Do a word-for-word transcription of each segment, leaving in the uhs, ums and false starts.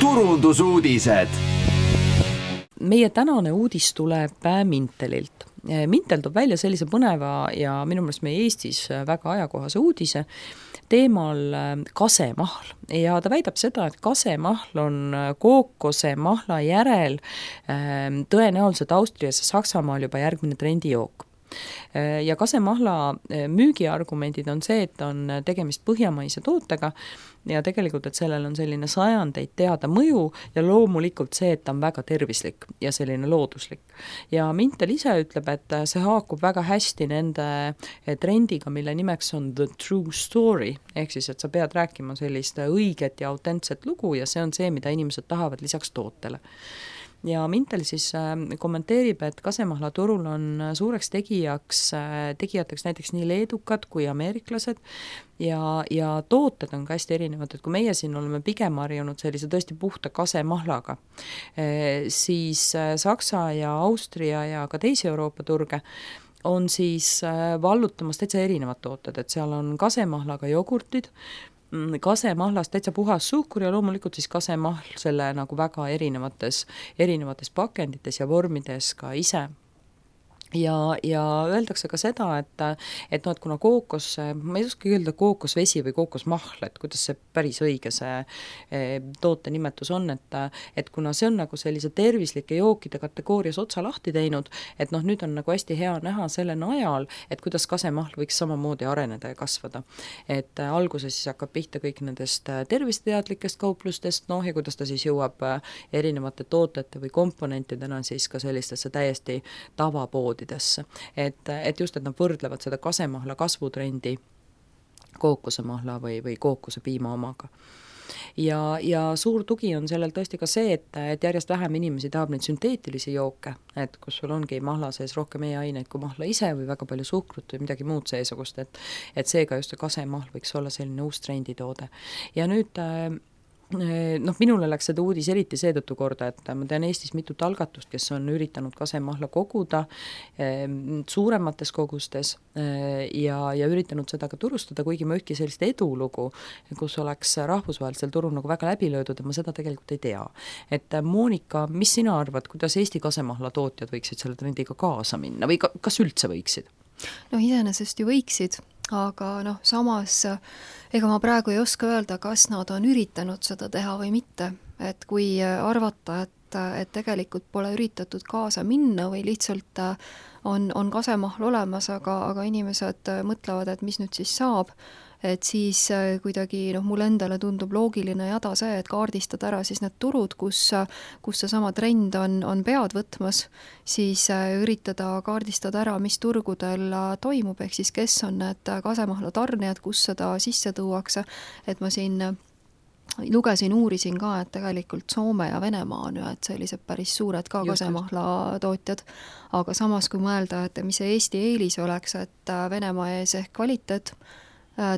turundusuudised. Meie tänane uudis tuleb Mintelilt. Mintel toob välja sellise põneva ja minu meelest meie Eestis väga ajakohase uudise teemal kasemahl. Ja ta väidab seda, et kasemahl on kookosemahla järel tõenäoliselt Austrias ja Saksamaal juba järgmine trendijook. Ja kasemahla müügiargumendid on see, et on tegemist põhjamaise tootega ja tegelikult, et sellel on selline sajandeid teada mõju ja loomulikult see, et ta on väga tervislik ja selline looduslik. Ja Mintel ise ütleb, et see haakub väga hästi nende trendiga, mille nimeks on the true story, ehk siis, et sa pead rääkima sellist õiget ja autentset lugu ja see on see, mida inimesed tahavad lisaks tootele. Ja Mintel siis kommenteerib, et kasemahla turul on suureks tegijaks, tegijateks näiteks nii leedukad kui ameeriklased ja, ja tooted on ka hästi erinevad, et kui meie siin oleme pigem harjunud sellise tõesti puhta kasemahlaga, siis Saksa ja Austria ja ka teisi Euroopa turge on siis vallutamas täitsa erinevad tooted, et seal on kasemahlaga jogurtid, kasemahlast täitsa puhas suhkur ja loomulikult siis kasemahl selle nagu väga erinevates, erinevates pakendites ja vormides ka ise. Ja, ja öeldakse ka seda, et, et, no, et kuna kookos, ma ei oska öelda kookosvesi või kookosmahl, et kuidas see päris õige see e, toote nimetus on, et, et kuna see on nagu sellise tervislike jookide kategoorias otsa lahti teinud, et noh, nüüd on nagu hästi hea näha selle najal, et kuidas kasemahl võiks samamoodi areneda ja kasvada. Et alguses siis hakkab pihta kõik nendest tervisteadlikest kauplustest, noh ja kuidas ta siis jõuab erinevate tootete või komponentidena siis ka sellistesse täiesti tavapoodi. Et, et just, et nad võrdlevad seda kasemahla kasvutrendi kookosemahla või, või kookose piima omaga. Ja, ja suur tugi on sellel tõesti ka see, et, et järjest vähem inimesi tahab neid sünteetilisi jooke, et kus sul ongi mahla sees rohkem e-aineid kui mahla ise või väga palju suhkrut või midagi muud seesugust, et, et seega just see kasemahl võiks olla selline uus trenditoode. Ja nüüd noh, minule läks seda uudis eriti seetõttu korda, et ma tean Eestis mitut algatust, kes on üritanud kasemahla koguda suuremates kogustes ja, ja üritanud seda ka turustada, kuigi ma ühtki sellist edulugu, kus oleks rahvusvahelisel turul nagu väga läbi löödud ja ma seda tegelikult ei tea. Et Monika, mis sina arvad, kuidas Eesti kasemahla tootjad võiksid selle trendiga kaasa minna või ka, kas üldse võiksid? No iseenesest ju võiksid, aga noh, samas ega ma praegu ei oska öelda, kas nad on üritanud seda teha või mitte, et kui arvata, et, et tegelikult pole üritatud kaasa minna või lihtsalt on, on kasemahl olemas, aga, aga inimesed mõtlevad, et mis nüüd siis saab, et siis kuidagi noh, mulle endale tundub loogiline jada see, et kaardistada ära siis need turud, kus, kus see sama trend on, on pead võtmas, siis üritada kaardistada ära, mis turgudel toimub, ehk siis kes on need kasemahla tarnijad, kus seda sisse tuuakse, et ma siin lugesin, uurisin ka, et tegelikult Soome ja Venemaa on ju, et sellised päris suured ka kasemahla tootjad, aga samas kui mõelda, et mis see Eesti eelis oleks, et Venemaa ees ehk kvaliteet,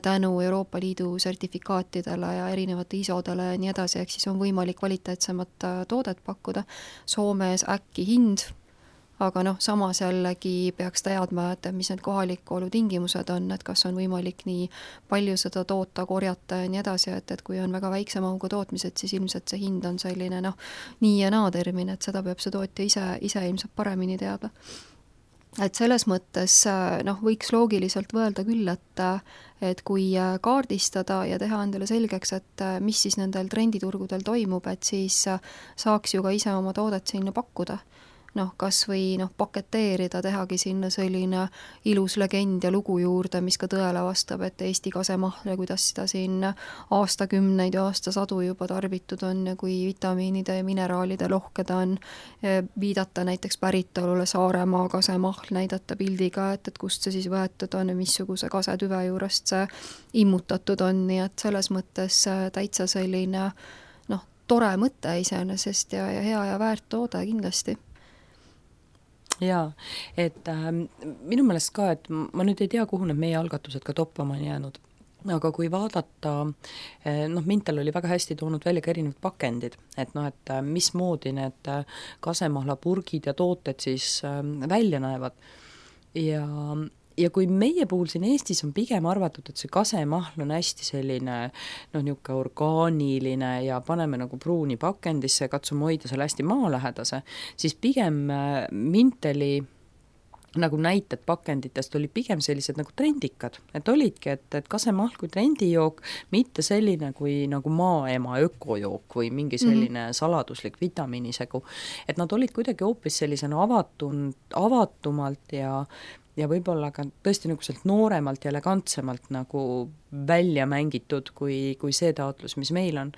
tänu Euroopa Liidu sertifikaatidele ja erinevate isodele ja nii edasi, ehk siis on võimalik kvaliteetsemat toodet pakkuda. Soomes äkki hind, aga noh, samas jällegi peaks teadma, et mis need kohaliku olu tingimused on, et kas on võimalik nii palju seda toota, korjata ja nii edasi, et, et kui on väga väikse mahuga tootmised, siis ilmselt see hind on selline noh, nii ja naa termin, et seda peab see tootja ise, ise ilmselt paremini teada. Et selles mõttes noh, võiks loogiliselt võelda küll, et, et kui kaardistada ja teha endale selgeks, et mis siis nendel trenditurgudel toimub, et siis saaks ju ka ise oma toodet sinna pakkuda. Noh, kas või noh, paketeerida, tehagi sinna selline ilus legend ja lugu juurde, mis ka tõele vastab, et Eesti kasemahl ja kuidas seda siin aastakümneid ja aastasadu juba tarbitud on ja kui vitamiinide ja mineraalide lohked on, viidata näiteks päritolule Saaremaa kasemahl, näidata pildiga, et, et kust see siis võetud on ja missuguse kasetüve juurest see immutatud on, nii et selles mõttes täitsa selline noh, tore mõte iseenesest ja, ja hea ja väärt toode kindlasti. Jaa, et äh, minu meelest ka, et ma nüüd ei tea, kuhu need meie algatused ka toppama on jäänud, aga kui vaadata, noh, Mintel oli väga hästi toonud välja ka erinevad pakendid, et noh, et mismoodi need kasemahla purgid ja tooted siis äh, välja näevad ja ja kui meie puhul siin Eestis on pigem arvatud, et see kasemahl on hästi selline noh, niisugune orgaaniline ja paneme nagu pruuni pakendisse ja katsume hoida selle hästi maalähedase, siis pigem Minteli nagu näited pakenditest oli pigem sellised nagu trendikad, et olidki, et, et kasemahl kui trendijook, mitte selline kui nagu maaema ökojook või mingi selline mm-hmm. saladuslik vitamiinisegu, et nad olid kuidagi hoopis sellisena avatun, avatumalt ja ja võib-olla ka tõesti nagu sealt nooremalt ja elegantsemalt nagu välja mängitud kui, kui see taotlus, mis meil on.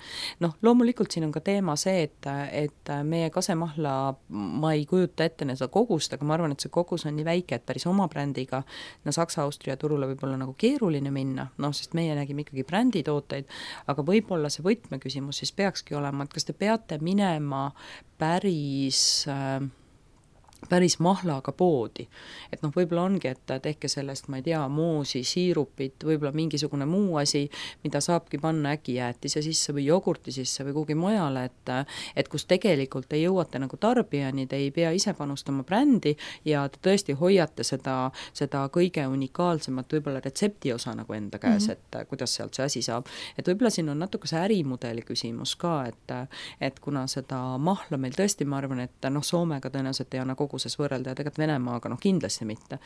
Noh, loomulikult siin on ka teema see, et, et meie kasemahla ma ei kujuta ette seda kogust, aga ma arvan, et see kogus on nii väike, et päris oma brändiga no Saksa-Austria turule võib-olla nagu keeruline minna, noh, sest meie nägime ikkagi bränditooteid, aga võib-olla see võtmeküsimus siis peakski olema, et kas te peate minema päris äh, päris mahlaga poodi. Et noh, võib-olla ongi, et tehke sellest, ma ei tea, moosi, siirupit, võib-olla mingisugune muu asi, mida saabki panna äkki jäätise sisse või jogurti sisse või kuhugi mujale, et, et kus tegelikult te jõuate nagu tarbijani, te ei pea ise panustama brändi ja te tõesti hoiate seda, seda kõige unikaalsemat võib-olla retsepti osa nagu enda käes, mm-hmm. et kuidas sealt see asi saab. Et võib-olla siin on natuke see ärimudeli küsimus ka, et, et kuna seda mahla meil tõesti, ma arvan, et noh, Soomega tõenäoliselt ei anna koguses võrrelda ja tegelikult Venemaaga noh kindlasti mitte.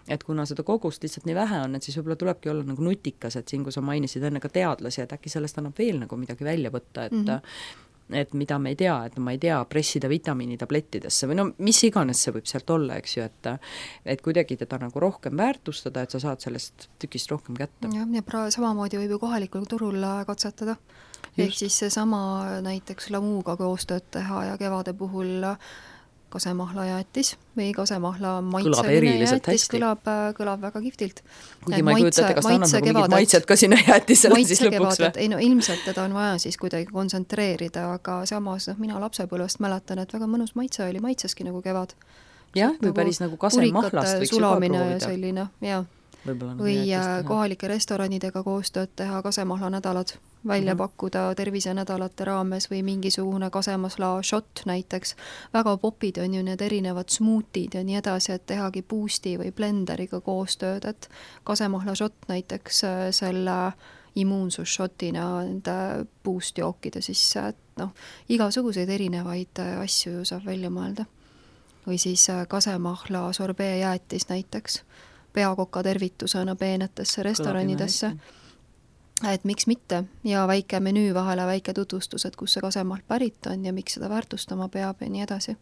Et kuna seda kogust lihtsalt nii vähe on, et siis võib-olla tulebki olla nagu nutikas, et siin, kui sa mainisid enne ka teadlasi, et äkki sellest annab veel nagu midagi välja võtta, et mm-hmm. et mida me ei tea, et ma ei tea, pressida vitamiinitablettidesse või no mis iganes see võib sealt olla, eks ju, et et kuidagi teda nagu rohkem väärtustada, et sa saad sellest tükist rohkem kätte. Ja, ja pra- samamoodi võib ju kohalikul turul katsetada. Ehk siis see sama näiteks Lamuuga koostööd teha ja kevade puhul kasemahla jäätis või kasemahla maitseline jäätis kõlab, kõlab väga kihvtilt. Kuigi ma ei kujuta ette, kas ta annab nagu mingid maitsed ka sinna jäätisele siis lõpuks või? Ei no ilmselt teda on vaja siis kuidagi kontsentreerida, aga samas noh, mina lapsepõlvest mäletan, et väga mõnus maitse oli, maitseski nagu kevad. Jah, või nagu päris nagu kasemahlast võiks juba proovida. Selline, jah. Või kohalike restoranidega koostööd teha kasemahla nädalad välja mm-hmm. pakkuda tervisenädalate raames või mingisugune kasemasla shot näiteks. Väga popid on ju need erinevad smootid ja nii edasi, et tehagi boost'i või blenderiga koostööd, et kasemahla shot näiteks selle immuunsusshotina nende boost jookide sisse, et noh, igasuguseid erinevaid asju ju saab välja mõelda. Või siis kasemahla sorbee jäätis näiteks peakoka tervitusena peenetesse restoranidesse, et miks mitte ja väike menüü vahele, väike tutvustus, et kus see kasemahl pärit on ja miks seda väärtustama peab ja nii edasi.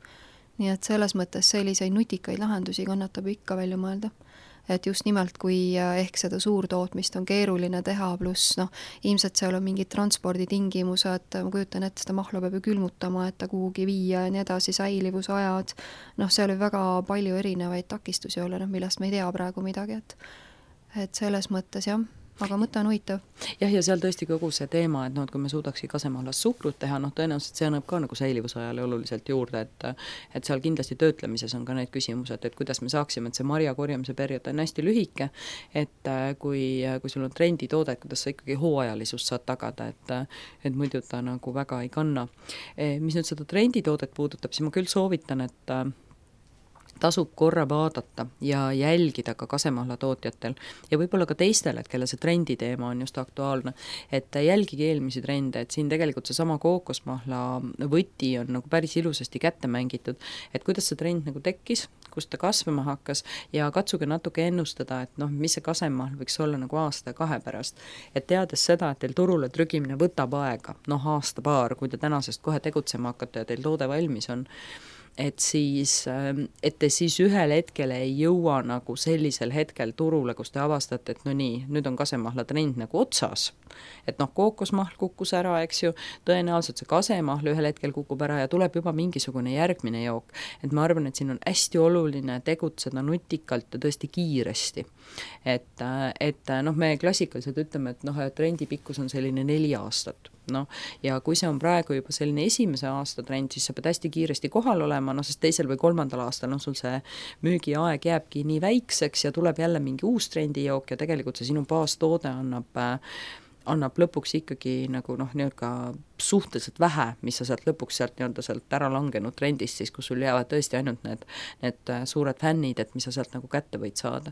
Nii et selles mõttes selliseid nutikaid lahendusi kannatab ikka välja mõelda. Et just nimelt, kui ehk seda suurtootmist on keeruline teha, pluss noh, ilmselt seal on mingid transporditingimused, ma kujutan, et seda mahla peab ju külmutama, et ta kuhugi viia ja nii edasi, säilivusajad, noh, seal oli väga palju erinevaid takistusi olla, noh, millest me ei tea praegu midagi, et, et selles mõttes jah, aga mõte on huvitav. Jah, ja seal tõesti kogu see teema, et noh, et kui me suudakski kasemahlas suhkrut teha, noh, tõenäoliselt see annab ka nagu säilivusajale oluliselt juurde, et et seal kindlasti töötlemises on ka need küsimused, et kuidas me saaksime, et see marja korjamise periood on hästi lühike, et kui, kui sul on trenditoode, kuidas sa ikkagi hooajalisust saad tagada, et et muidu ta nagu väga ei kanna. Mis nüüd seda trenditoodet puudutab, siis ma küll soovitan, et tasub korra vaadata ja jälgida ka kasemahla tootjatel ja võib-olla ka teistel, et kelle see trenditeema on just aktuaalne, et jälgige eelmisi trende, et siin tegelikult see sama kookosmahla võti on nagu päris ilusasti kätte mängitud, et kuidas see trend nagu tekkis, kust ta kasvama hakkas ja katsuge natuke ennustada, et noh, mis see kasemahl võiks olla nagu aasta ja kahe pärast, et teades seda, et teil turule trügimine võtab aega, noh aasta paar, kui te tänasest kohe tegutsema hakkate ja teil toode valmis on, et siis, et te siis ühel hetkel ei jõua nagu sellisel hetkel turule, kus te avastate, et no nii, nüüd on kasemahla trend nagu otsas, et noh, kookosmahl kukkus ära, eks ju, tõenäoliselt see kasemahl ühel hetkel kukub ära ja tuleb juba mingisugune järgmine jook, et ma arvan, et siin on hästi oluline tegutseda nutikalt ja tõesti kiiresti, et, et noh, me klassikaliselt ütleme, et noh, trendi pikkus on selline neli aastat, noh, ja kui see on praegu juba selline esimese aasta trend, siis sa pead hästi kiiresti kohal olema, noh, sest teisel või kolmandal aastal, noh, sul see müügiaeg jääbki nii väikseks ja tuleb jälle mingi uus trendijook ja tegelikult see sinu baastoode annab, annab lõpuks ikkagi nagu noh, nii-öelda suhteliselt vähe, mis sa sealt lõpuks sealt nii-öelda sealt ära langenud trendist siis, kus sul jäävad tõesti ainult need, need suured fännid, et mis sa sealt nagu kätte võid saada.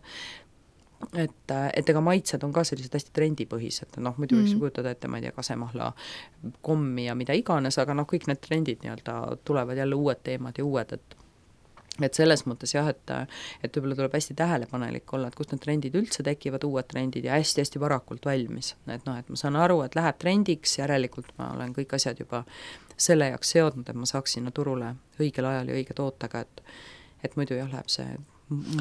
et, et ega maitsed on ka sellised hästi trendipõhised, noh muidu võiks Mm. ju kujutada ette, ma ei tea, kasemahla kommi ja mida iganes, aga noh, kõik need trendid nii-öelda tulevad jälle uued teemad ja uued, et et selles mõttes jah, et, et võib-olla tuleb hästi tähelepanelik olla, et kust need trendid üldse tekivad, uued trendid ja hästi-hästi varakult valmis. Et noh, et ma saan aru, et läheb trendiks, järelikult ma olen kõik asjad juba selle jaoks seadnud, et ma saaks sinna turule õigel ajal ja õige tootega, et, et muidu jah, läheb see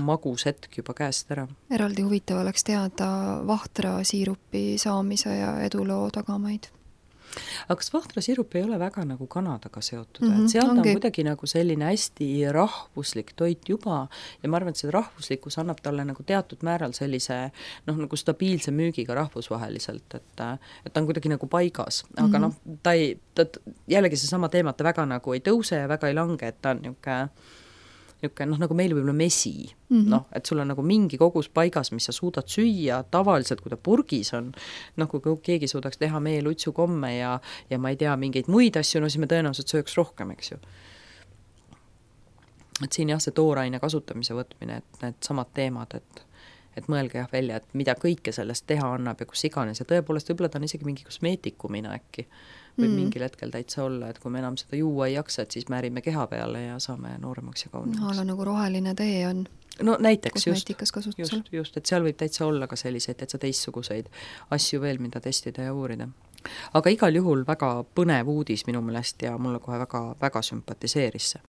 magus hetk juba käest ära. Eraldi huvitav oleks teada vahtra siirupi saamise ja eduloo tagamaid. Aga kas vahtrasiirup ei ole väga nagu Kanadaga seotud, mm -hmm, et seal ongi. on kuidagi nagu selline hästi rahvuslik toit juba ja ma arvan, et see rahvuslikkus annab talle nagu teatud määral sellise noh, nagu stabiilse müügiga rahvusvaheliselt, et et ta on kuidagi nagu paigas, aga mm -hmm. noh, ta ei, ta jällegi seesama teema, et ta väga nagu ei tõuse ja väga ei lange, et ta on niisugune niisugune noh, nagu meil võib-olla mesi, mm -hmm. noh, et sul on nagu mingi kogus paigas, mis sa suudad süüa, tavaliselt kui ta purgis on, noh, kui keegi suudaks teha meelutsukomme ja, ja ma ei tea, mingeid muid asju, no siis me tõenäoliselt sööks rohkem, eks ju. Et siin jah, see tooraine kasutamise võtmine, et need samad teemad, et et mõelge jah välja, et mida kõike sellest teha annab ja kus iganes ja tõepoolest võib-olla ta on isegi mingi kosmeetikumina äkki võib mm. mingil hetkel täitsa olla, et kui me enam seda juua ei jaksa, et siis määrime keha peale ja saame nooremaks ja kaunemaks. No, nagu roheline tee on no näiteks just, just, just, et seal võib täitsa olla ka selliseid täitsa teistsuguseid asju veel, mida testida ja uurida. Aga igal juhul väga põnev uudis minu meelest ja mulle kohe väga, väga sümpatiseeris see.